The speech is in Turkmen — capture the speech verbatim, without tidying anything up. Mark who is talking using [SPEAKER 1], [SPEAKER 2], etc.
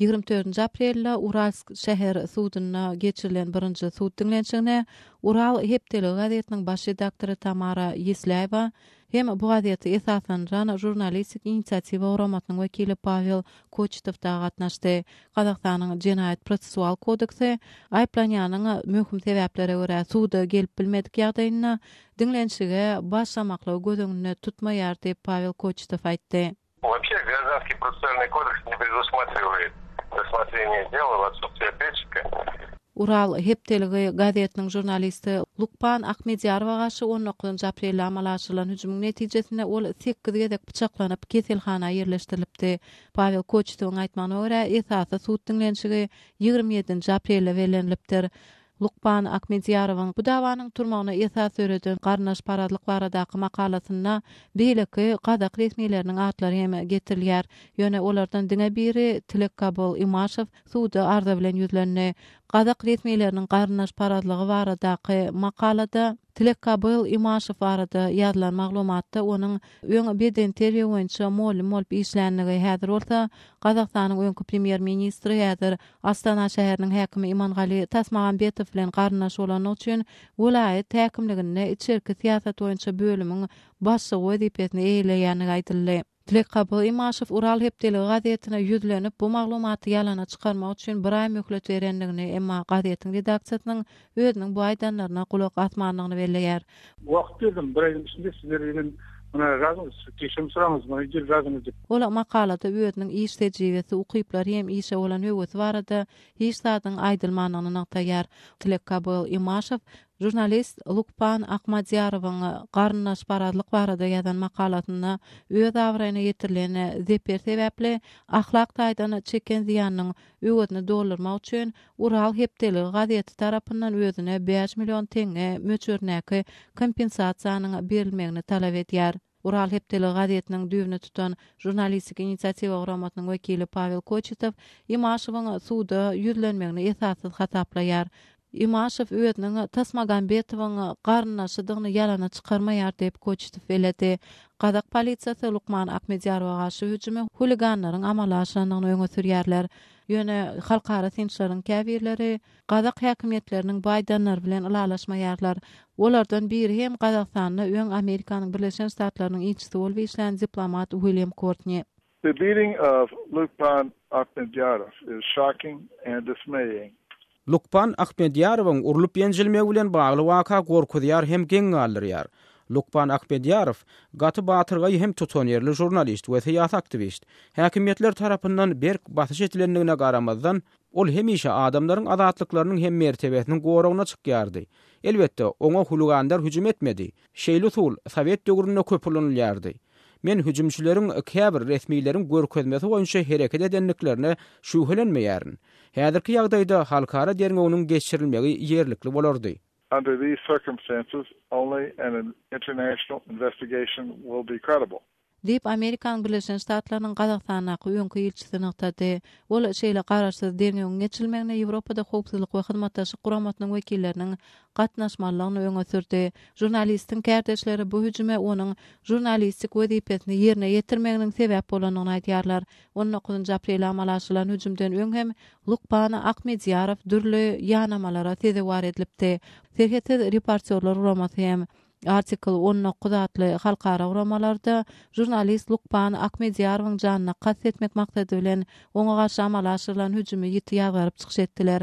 [SPEAKER 1] Ýigrimi dördünji aprelde Uralsk şäher sudunda geçirilen birinji sud diňlenişigine Ural hepdeligi gazetiniň baş redaktory Tamara Ýesläýewa hem bu gazeti esaslandyran Žurnalistik inisiatiwa guramasynyň wekili Pawel Koçetow dagy gatnaşdy. Gazagystanyň Jenaýat prosessual kodeksi aýyplanýanyň möhüm sebäplere görä suda gelip bilmedik ýagdaýynda diňlenişige başlamaklygy göz öňünde tutmaýar diýip Pawel Koçetow aýtdy.
[SPEAKER 2] Вообще Гражданский процессуальный кодекс не предусматривает рассмотрение дела в отсутствие ответчика.
[SPEAKER 1] Ural hepdeligi gazetiniň žurnalisti Lukpan Ahmedýarowa garşy on dokuzynjy aprelde amala aşyrylan hüjümiň netijesinde ol sekiz gezek pyçaklanyp keselhana ýerleşdirilipdi. Pawel Koçetowyň aýtmagyna görä, esasy sud diňlenişigi ýigrimi ýedinji aprelde bellenilipdir. Lukpan Ahmedýarowyň bu dawanyň turmagyna esas döreden garyndaşparazlyk baradaky makalasynda beýleki gazak resmileriniň atlary hem getirilýär. Ýöne olardan diňe biri Tilekabul Imaşew suda arza bilen ýüzlendi. Gazak resmileriniň garyndaşparazlygy baradaky makalada Tilekabul Imaşew barada ýazylan maglumatda onuň öň beden terbiýe boýunça mugallym bolup işlänligi, häzir bolsa Gazagystanyň öňki premýer-ministri, häzir Astana şäheriniň häkimi Imangali Tasmagambetow bilen garyndaş bolany üçin welaýat häkimliginde içerki syýasat boýunça bölümiň başlygy wezipesini eýeleýänligi aýdyldy. Tilekabul Imaşew Ural hepdeligi gazetine ýüzlenip, bu maglumaty ýalana çykarmak üçin bir aý möhlet berenligini, emma gazetiň redaksiýasynyň özüniň bu aýdanlaryna gulak asmanlygyny belleýär.
[SPEAKER 3] Wagt berdim, bir aýyň içinde sizler bilen muna razyňyz, geçim soraňyz, muna gel razyňyz diýip.
[SPEAKER 1] Ol makalada özüniň iş tejribesi, ukyplary hem işe bolan höwesi barada hiç zadyň aýdylmandygyny nygtaýar. Tilekabul Imaşew žurnalist Lukpan Ahmadýarowyň garyndaşparazlyk barada ýazan makalasynda öz abraýyna ýetirilen zeper sebäpli ahlak taýdan çeken zyýanynyň öwezini doldurmak üçin Ural hepdeligi gazeti tarapyndan özüne bäş million tenge möçberindäki kompensasiýanyň berilmegini talap edýär. Ural hepdeligi gazetiniň düýbüni tutan žurnalistik inisiatiwa guramasynyň wekili Pawel Koçetow Imaşewiň suda ýüzlenmegini esassyz hasaplaýar. Imaşew özüniň Tasmagambetowyň garyndaşydygyny ýalana çykarmaýar diýip Koçetow belledi. Gazak polisiýasy Lukman Ahmedýarowa garşy hüjümi huliganlaryň amala aşyrandygyny öňe sürýärler. Ýöne halkara synçylaryň käbirleri Gazak häkimiýetleriniň baýdanlar bilen ylalaşmaýarlar. Olardan biri hem Gazagystanda öň Amerikanyň Birleşen Ştatlarynyň ilçisi bolup işlän diplomat William Courtney.
[SPEAKER 4] The beating of Lukman Ahmedyarov is shocking and dismaying.
[SPEAKER 5] Lukman Ahmedýarowyň urlup ýenjilmegi bilen bagly waka gorkuzýar hem geň galdyrýar. Lukman Ahmedýarow gaty batyrgaý hem tutanýerli žurnalist we syýasy aktiwist. Häkimiýetler tarapyndan berk basyş edilendigine garamazdan, ol hemişe adamlaryň azatlyklarynyň hem mertebesiniň goragyna çykýardy. Elbetde, oňa huliganlar hüjüm etmedi. Şeýle usul Sowet döwründe köp ulanylýardy. Men hüjümçileriň käbir resmileriň görkezmesi boýunça hereket edendiklerine şübhelenmeýärin. Häzirki ýagdaýda halkara derňewiniň geçirilmegi ýerlikli bolardy.
[SPEAKER 4] Under these circumstances, only an international investigation will be credible.
[SPEAKER 1] Diýip Amerikanyň Birleşen Ştatlarynyň Gazagystandaky öňki ilçisi nygtady. Ol şeýle garaşsyz derňewiň geçirilmegine Ýewropada howpsuzlyk we hyzmatdaşlyk guramasynyň wekilleriniň gatnaşmalygyny öňe sürdi. Žurnalistiň kärdeşleri bu hüjüme onuň žurnalistik wezipesini ýerine ýetirmeginiň sebäp bolandygyny aýdýarlar. on dokuzynjy aprel amala aşyrylan hüjümden öň hem Lukman Ahmedýarow dürli ýanamalara sezewar edilipdi. Serhetsiz reportýorlar guramasy hem Artikel on dokuz atly halkara guramalarda žurnalist Lukman Ahmedýarowyň janyna kast etmek maksady bilen oňa garşy amala aşyrylan hüjümi ýiti ýazgaryp çykyş etdiler.